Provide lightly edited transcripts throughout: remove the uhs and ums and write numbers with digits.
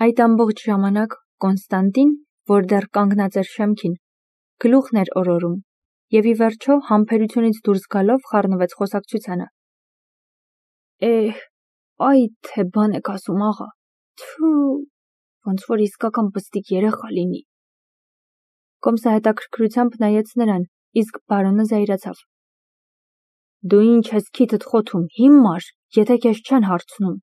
Այդ ամբողջ ժամանակ Կոնստանտին, որ դեռ կանգնած էր շեմքին, գլուխն էր օրորում և ի վերջո համբերությունից դուրս գալով խառնվեց խոսակցությանը. Այ թե բան եք ասում աղա, թու, ոնց որ իսկական պստիկ երեխա լինի։ Կոմսը հետաքրքրությամբ նայեց նրան, իսկ բարոնը զայրացավ. Դու ինչ ես քիթդ խոթում, հիմար, եթե քեզ չեն հարցնում։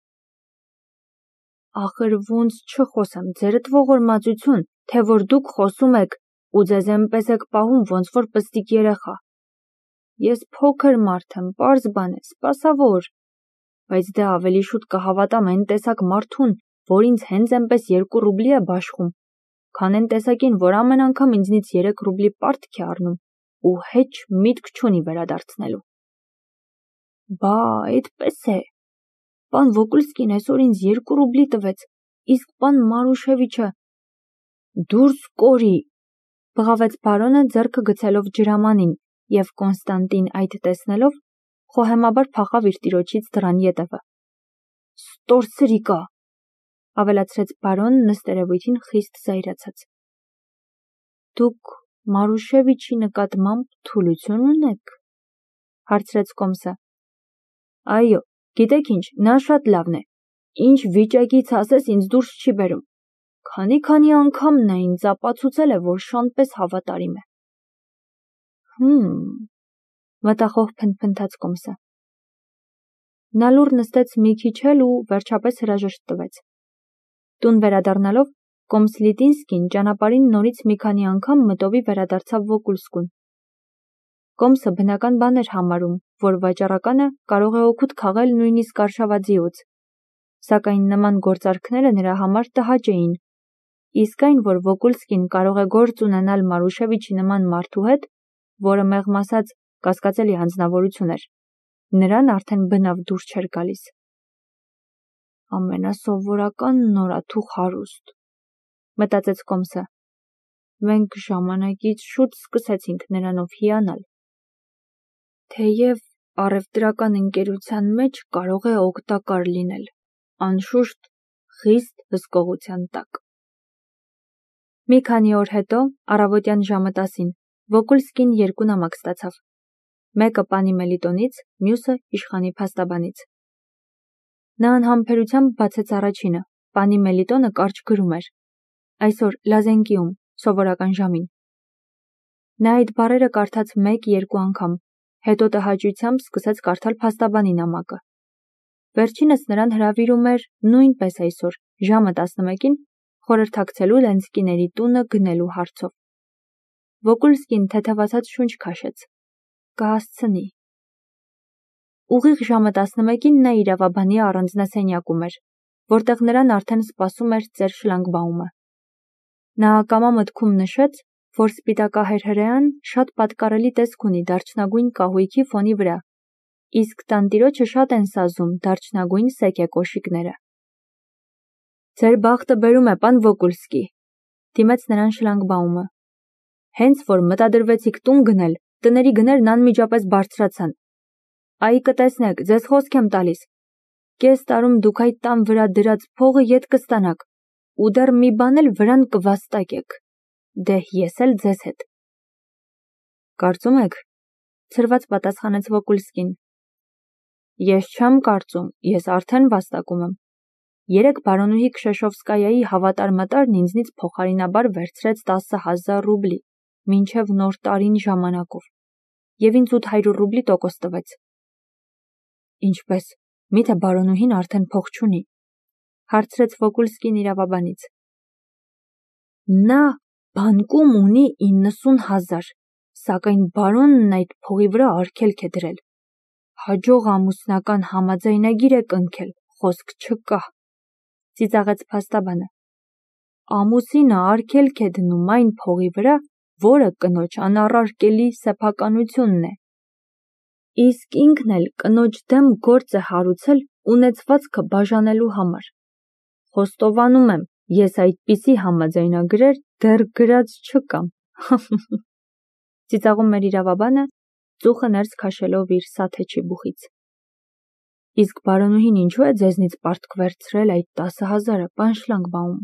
Ախր ոնց չխոսեմ, ձերդ ողորմածություն, թե որ դուք խոսում եք ու ձեզ էնպես եք պահում, ոնց որ պստիկ երեխա։ Ես փոքր մարդ եմ, պարզ բան է, սպասավոր, բայց դե ավելի շուտ կհավատամ այն տեսակ մարդուն, որ ինձ հենց էնպես 2 ռուբլի է բաշխում, քան այն տեսակին, որ ամեն անգամ ինձնից 3 ռուբլի պարտք է առնում ու հեչ միտք չունի վերադարձնելու։ Բա, այդպես է։ Պան Վոկուլսկին այսօր ինձ 2 ռուբլի տվեց, իսկ պան Մարուշևիչը… Դուրս կորի, բղավեց բարոնը ձեռքը գցելով ջրամանին, և Կոնստանտին այդ տեսնելով խոհեմաբար փախավ իր տիրոջից դռան ետևը։ Ստորսրիկա, ավելացրեց բարոնը նստերևույթին խիստ զայրացած։ Դուք Մարուշևիչի նկատմամբ թուլություն ունեք, հարցրեց Կոմսը։ Այո, գիտեք ինչ, նա շատ լավն է, ինչ վիճակից ասես ինձ դուրս չի բերում, քանի անգամ նա ինձ ապացուցել է, որ շանպես հավատարիմ է։ Մտախոհ փնթփնթաց Կոմսը։ Նա լուռ նստեց մի քիչ էլ ու վերջապես հրաժեշտ տվեց։ Տուն վերադառնալով Կոմսլիտինսկին ճանապարհին նորից մի քանի անգամ մտովի վերադարձավ Վոկուլսկուն։ Կոմսը բնական բան էր համարում, որ վաճառականը կարող է օգուտ քաղել նույնիսկ արշավաձիուց, սակայն նման գործարքները նրա համար տհաճ էին, իսկ այն, որ Վոկուլսկին կարող է գործ ունենալ Մարուշևիչի նման մարդու հետ, որը մեղմ ասած կասկածելի անձնավորություն էր, նրան արդեն բնավ դուր չէր գալիս։ Ամենասովորական նորաթուխ հարուստ, մտածեց Կոմսը։ Մենք ժամանակից շուտ սկսեցինք նրանով հիանալ։ Թեև առևտրական ընկերության մեջ կարող է օգտակար լինել, անշուշտ խիստ հսկողության տակ։ Մի քանի օր հետո, առավոտյան ժամը 10-ին, Վոկուլսկին 2 նամակ ստացավ։ Մեկը պանի Մելիտոնից, մյուսը իշխանի փաստաբանից։ Նա անհամբերությամբ բացեց առաջինը, պանի Մելիտոնը կարճ գրում էր. Այսօր Լազենկիում, սովորական ժամին։ Նա այդ բառերը կարդաց 1-2 անգամ, հետո տհաճությամբ սկսեց կարդալ փաստաբանի նամակը։ Վերջինս նրան հրավիրում էր նույնպես այսօր, ժամը 11-ին, խորհրդակցելու Լենսկիների տունը գնելու հարցով։ Վոկուլսկին թեթևացած շունչ քաշեց։ Կհասցնի։ Ուղիղ ժամը 11-ին նա իրավաբանի առանձնասենյակում էր, որտեղ նրան արդեն սպասում էր ծեր շլագբաումը։ Նա ակամա մտքում նշեց, որ սպիտակահեր հրեան շատ պատկառելի տեսք ունի դարչնագույն կահույքի ֆոնի վրա, իսկ տանտիրոջը շատ են սազում դարչնագույն սեկե կոշիկները։ Ձեր բախտը բերում է, պան Վոկուլսկի, դիմեց նրան շլագբաումը։ Հենց որ մտադրվեցիք տուն գնել, տների գներն անմիջապես բարձրացան։ Այ կտեսնեք, ձեզ խոսք եմ տալիս։ Կես տարում դուք այդ տան վրա դրած փողը ետ կստանաք, ու դեռ մի բան էլ վրան կվաստակեք։ Դե ես էլ ձեզ հետ։ Կարծում եք, ցրված պատասխանեց Վոկուլսկին։ Ես չեմ կարծում, ես արդեն վաստակում եմ։ Երեկ բարոնուհի Քշեշովսկայայի հավատար-մատարն ինձնից փոխարինաբար վերցրեց 10,000 ռուբլի, մինչև նոր տարին ժամանակով, և ինձ 800 ռուբլի տոկոս տվեց։ Ինչպես, միթե բարոնուհին արդեն փող չունի, հարցրեց Վոկուլսկին իրավաբանից։ Նա բանկում ունի 90,000, սակայն բարոնն այդ փողի վրա արգելք է դրել։ Հաջող ամուսնական համաձայնագիր է կնքել, խոսք չկա, ծիծաղեց փաստաբանը։ Ամուսինը արգելք է դնում այն փողի վրա, որը կնոջ անառարկելի սեփականությունն է։ Իսկ ինքն էլ կնոջ դեմ գործ է հարուցել ունեցվածքը բաժանելու համար։ Խոստովանում եմ, ես այդպիսի համաձայնագրեր դեռ գրած չկամ։ Ծիծաղում էր իրավաբանը, ծուխը ներս քաշելով իր սաթեչի բուխից։ Իսկ բարոնուհին ինչու է ձեզնից պարտք վերցրել այդ 10,000-ը, պան Շլանգբաում,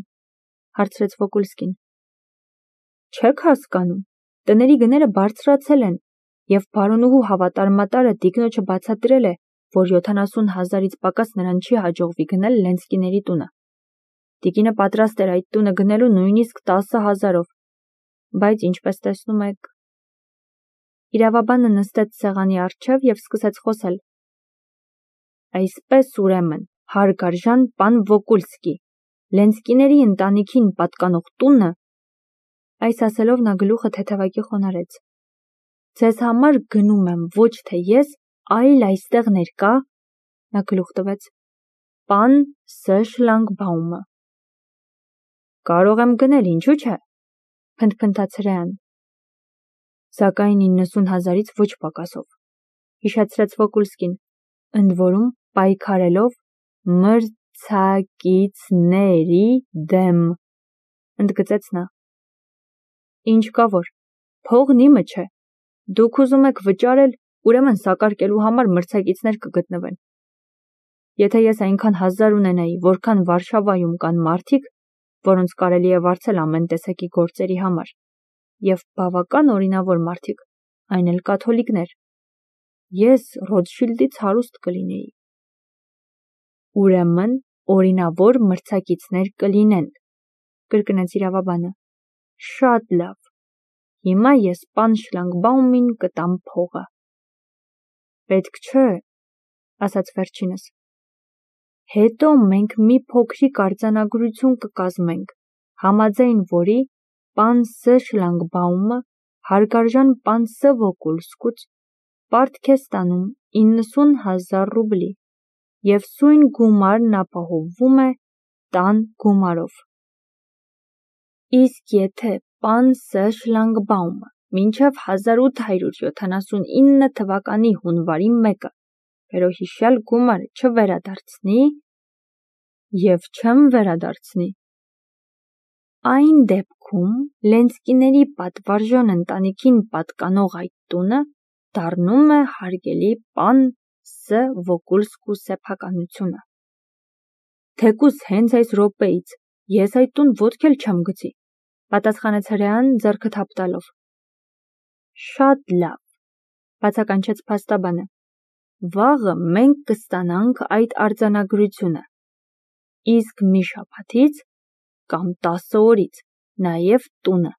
հարցրեց Վոկուլսկին։ Չեք հասկանում, տների գները բարձրացել են, և բարոնուհու հավատարմատարը տիկնոջը բացատրել է, որ 70,000-ից պակաս նրան չի հաջողվի գնել Լենսկիների տունը։ Տիկինը պատրաստ էր այդ տունը գնելու նույնիսկ 10,000-ով, բայց ինչպես տեսնում եք… Իրավաբանը նստեց սեղանի առջև և սկսեց խոսել. Այսպես ուրեմն, հարգարժան պան Վոկուլսկի, Լենսկիների ընտանիքին պատկանող տունը… Այս ասելով նա գլուխը թեթևակի խոնարհեց։ Ձեզ համար գնում եմ ոչ թե ես, այլ այստեղ ներկա… Նա գլուխ տվեց. Պան Ս. Շլանգբաումը։ Կարող եմ գնել, ինչու՞ չէ, փնթփնթաց Հրեան։ Սակայն 90,000-ից ոչ պակասով, հիշեցրեց Վոկուլսկին, ընդ որում պայքարելով մրցակիցների դեմ, ընդգծեց նա։ Ինչ կա որ, փողն իմը չէ, դուք ուզում եք վճարել, ուրեմն սակարկելու համար մրցակիցներ կգտնվեն։ Եթե ես այնքան հազար ունենայի, որքան Վարշավայում կան մարդիկ, որոնց կարելի է վարձել ամեն տեսակի գործերի համար, և բավական օրինավոր մարդիկ, այն էլ կաթոլիկներ, ես Ռոթշիլդից հարուստ կլինեի։ Ուրեմն օրինավոր մրցակիցներ կլինեն, կրկնեց իրավաբանը։ Շատ լավ, հիմա ես պան Շլանգբաումին կտամ փողը։ Պետք չէ, ասաց վերջինս։ Հետո մենք մի փոքրիկ արձանագրություն կկազմենք, համաձայն որի պան Ս. Շլանգբաումը հարգարժան պան Ս. Վոկուլսկուց պարտք է ստանում 90,000 ռուբլի և սույն գումարն ապահովվում է տան գումարով։ Իսկ եթե պան Ս. Շլանգբաումը մինչև 1879 թվականի հունվարի 1-ը վերոհիշյալ գումարը չվերադարձնի և չեմ վերադարձնի, այն դեպքում Լենսկիների պատվարժան ընտանիքին պատկանող այդ տունը դառնում է հարգելի պան Ս. Վոկուլսկու սեփականությունը։ Թեկուզ հենց այս րոպեից ես այդ տուն ոտք էլ չեմ գցի, պատասխանեց Հրեան ձեռքը թափ տալով։ Շատ լավ, բացականչեց փաստաբանը։ Վաղը մենք կստանանք այդ արձանագրությունը, իսկ մի շաբաթից կամ 10 օրից նաև տունը,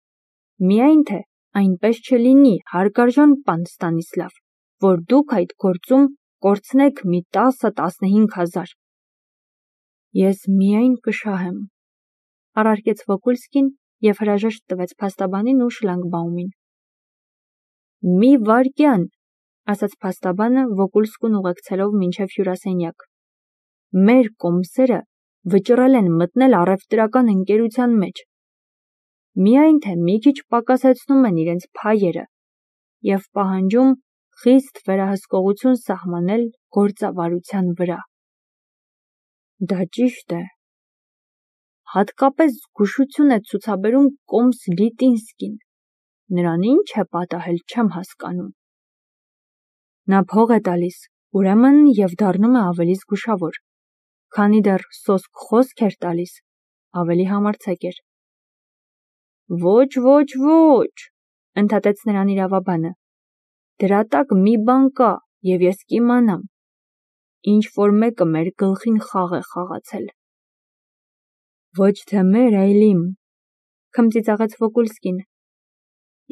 միայն թե այնպես չլինի, հարգարժան պան Ստանիսլավ, որ դուք այդ գործում կորցնեք մի 10-15,000։ Ես միայն կշահեմ, առարկեց Վոկուլսկին և հրաժեշտ տվեց փաստաբանին ու Շլանգբաումին։ Մի վայրկյան, ասաց փաստաբանը Վոկուլսկուն ուղեկցելով մինչև հյուրասենյակ։ Մեր կոմսերը վճռել են մտնել առևտրական ընկերության մեջ, միայն թե մի քիչ պակասեցնում են իրենց փայերը և պահանջում խիստ վերահսկողություն սահմանել գործավարության վրա։ Դա ճիշտ է։ Հատկապես զգուշություն է ցուցաբերում կոմս Լիտինսկին, նրան ինչ է պատահել, չեմ հասկանում։ Նա փող է տալիս, ուրեմն և դառնում է ավելի զգուշավոր, քանի դեռ սոսկ խոսք էր տալիս, ավելի համարձակ էր։ Ոչ, ընդհատեց նրան իրավաբանը, դրա տակ մի բան կա, և ես կիմանամ, ինչ որ մեկը մեր գլխին խաղ է խաղացել։ Ոչ թե մեր, այլ իմ, քմծիծաղեց Վոկուլսկին։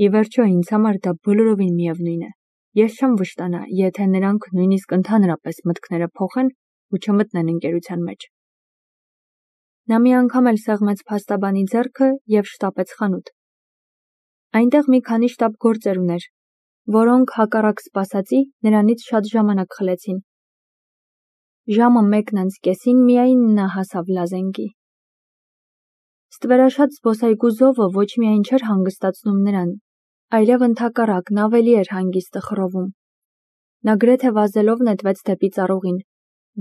Ի վերջո ինձ համար դա բոլորովին միևնույն է։ Ես չեմ վշտանա, եթե նրանք նույնիսկ ընդհանրապես մտքները փոխեն ու չմտնեն ընկերության մեջ։ Նա մի անգամ էլ սեղմեց փաստաբանի ձեռքը և շտապեց խանութ։ Այնտեղ մի քանի շտապգործեր ուներ, որոնք հակառակ սպասածի նրանից շատ ժամանակ խլեցին։ Ժամը 1:30 միայն նա հասավ Լազենգի։ Ստվերաշատ զբոսայգու զովը ոչ միայն չէր հանգստացնում նրան, այլև ընդհակառակն ավելի էր հանգիստը խռովում։ Նա գրեթե վազելով նետվեց դեպի ծառուղին,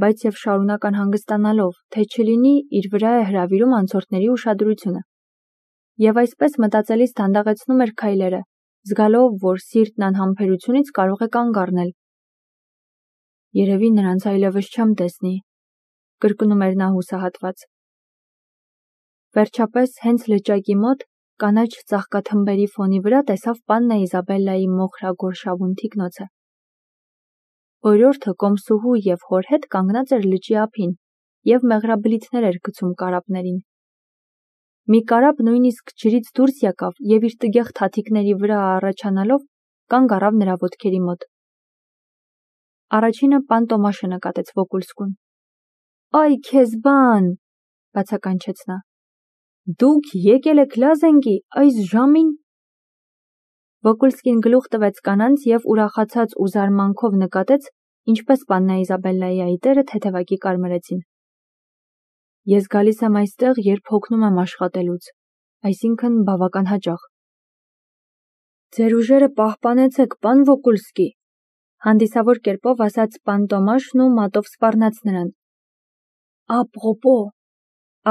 բայց և շարունակ անհանգստանալով, թե չլինի իր վրա է հրավիրում անցորդների ուշադրությունը։ Եվ այսպես մտածելիս դանդաղեցնում էր քայլերը, զգալով, որ սիրտն անհամբերությունից կարող է կանգ առնել։ Երևի նրանց այլևս չեմ տեսնի, կրկնում էր նա հուսահատված։ Վերջապես հենց լճակի մոտ կանաչ ծաղկաթմբերի ֆոնի վրա տեսավ պաննա Իզաբելլայի մոխրագոր շավուն թիկնոցը։ Օրիորդը կոմսուհու և հոր հետ կանգնած էր լճի ափին և մեղրաբլիթներ էր գցում կարապներին։ Մի կարապ նույնիսկ ջրից դուրս եկավ և իր տգեղ թաթիկների վրա առաջանալով կանգ առավ նրա ոտքերի մոտ։ Առաջինը պան Տոմաշը նկատեց Վոկուլսկուն։ «Այ քեզ բան», բացականչեց նա։ «Դուք եկել եք Լազենգի այս ժամին»։ Վոկուլսկին գլուխ տվեց կանանց և ուրախացած ու զարմանքով նկատեց, ինչպես պաննա Իզաբելլայի այտերը թեթևակի կարմրեցին։ Ես գալիս եմ այստեղ, երբ հոգնում եմ աշխատելուց, այսինքն բավական հաճախ։ Ձեր ուժերը պահպանեցեք, պան Վոկուլսկի, հանդիսավոր կերպով ասաց պան Տոմաշն ու մատով սպառնաց նրան։ Ապրոպո,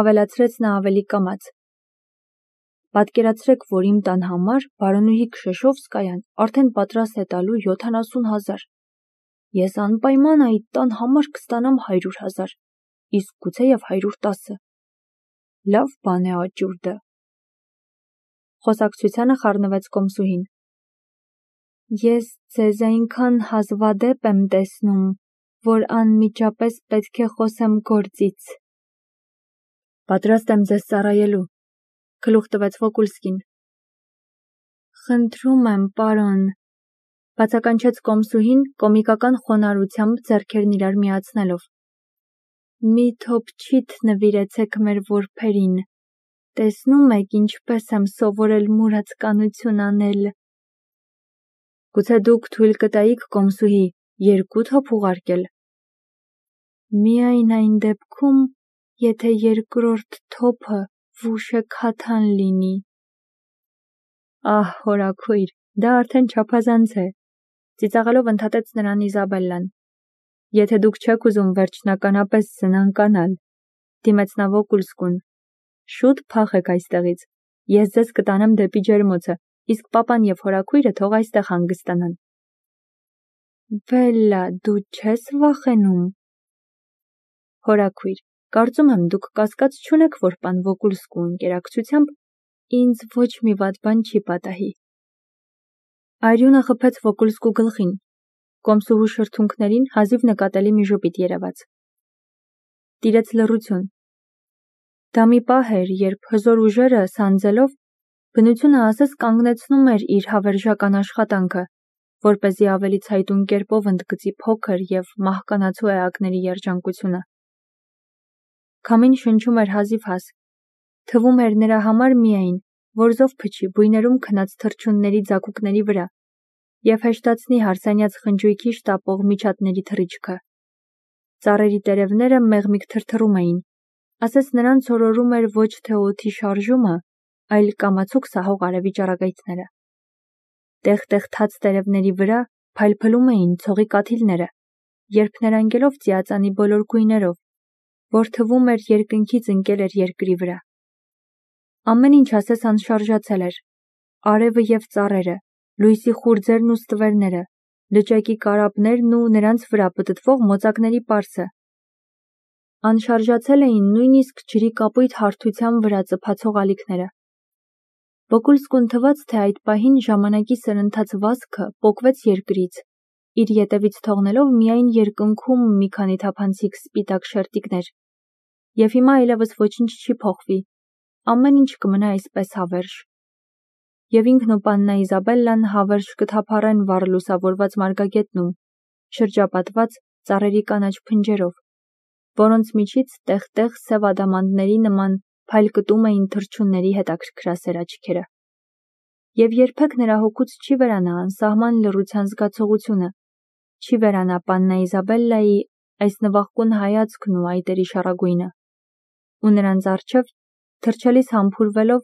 ավելացրեց նա ավելի կամաց։ Պատկերացրեք, որ իմ տան համար բարոնուհի Քշեշովսկայան արդեն պատրաստ է տալու 70,000։ Ես անպայման այդ տան համար կստանամ 100,000, իսկ գուցեև 110-ը։ Լավ բան է աճուրդը։ Խոսակցությանը խառնվեց կոմսուհին։ Ես ձեզ այնքան հազվադեպ եմ տեսնում, որ անմիջապես պետք է խոսեմ գործից։ Պատրաստ եմ ձեզ ծառայելու, գլուխ տվեց Վոկուլսկին։ Խնդրում եմ, պարոն, բացականչեց կոմսուհին կոմիկական խոնարհությամբ ձեռքերն իրար միացնելով։ Մի թոփչիթ նվիրեցեք մեր որբերին, տեսնում եք ինչպես եմ սովորել մուրացկանություն անել։ Գուցե դուք թույլ կտայիք կոմսուհի 2 թոփ ուղարկել։ Միայն այն դեպքում, եթե երկրորդ թոփը վուշե քաթան լինի։ Ահ, հորաքույր, դա արդեն չափազանց է, ծիծաղելով ընդհատեց նրան Իզաբելլան։ Եթե դուք չեք ուզում վերջնականապես զնանկանալ, դիմեց նա Վոկուլսկուն, շուտ փախեք այստեղից, ես ձեզ կտանեմ դեպի ջերմոցը, իսկ պապան և հորաքույրը թող այստեղ հանգստանան։ Բելլա, դու չես վախենում։ Հորաքույր, կարծում եմ դուք կասկած չունեք, որ պան Վոկուլսկու ընկերակցությամբ ինձ ոչ մի վատ բան չի պատահի։ Արյունը խփեց Վոկուլսկու գլխին, կոմսուհու շրթունքներին հազիվ նկատելի մի ժպիտ երևաց։ Տիրեց լռություն։ Դա մի պահ էր, երբ հզոր ուժերը սանձելով, բնությունը ասես կանգնեցնում էր իր հավերժական աշխատանքը, որպեսզի ավելի ցայտուն կերպով ընդգծի փոքր և մահկանացու էակների երջանկությունը։ Քամին շնչում էր հազիվհազ, թվում էր նրա համար միայն, որ զով փչի բույներում քնած թռչունների ձագուկների վրա և հեշտացնի հարսանյաց խնջույքի շտապող միջատների թռիչքը։ Ծառերի տերևները մեղմիկ թրթռում էին, ասես նրանց օրորում էր ոչ թե օդի շարժումը, այլ կամացուկ սահող արևի ճառագայթները։ Տեղ-տեղ թաց տերևների վրա փայլփլում էին ցողի կաթիլները, երփներանգելով ծիածանի բոլոր գույներով, որ թվում էր երկնքից ընկել էր երկրի վրա։ Ամեն ինչ ասես անշարժացել էր, արևը և ծառերը, լույսի խուրձերն ու ստվերները, լճակի կարապներն ու նրանց վրա պտտվող մոծակների պարսը։ Անշարժացել էին նույնիսկ ջրի կապույտ հարթության վրա ծփացող ալիքները։ Վոկուլսկուն թվաց, թե այդ պահին ժամանակի սրընթաց վազքը պոկվեց երկրից, իր ետևից թողնելով միայն երկնքում մի քանի թափանցիկ սպիտակ շերտիկներ, և հիմա այլևս ոչինչ չի փոխվի, ամեն ինչ կմնա այսպես հավերժ։ Եվ ինքն ու պաննա Իզաբելլան հավերժ կթափառեն վառ լուսավորված մարգագետնում, շրջապատված ծառերի կանաչ փնջերով, որոնց միջից տեղ-տեղ սև ադամանդների նման փայլկտում էին թռչունների հետաքրքրասեր աչքերը։ Եվ երբեք նրա հոգուց չի վերանա անսահման լռության զգացողությունը, չի վերանա պաննա Իզաբելլայի այս նվախկուն հայացքն ու այտերի շառագույնը, ու նրանց առջև թրջելիս համբուրվելով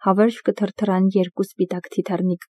հավերժ կթրթռան երկու սպիտակ թիթեռնիկ։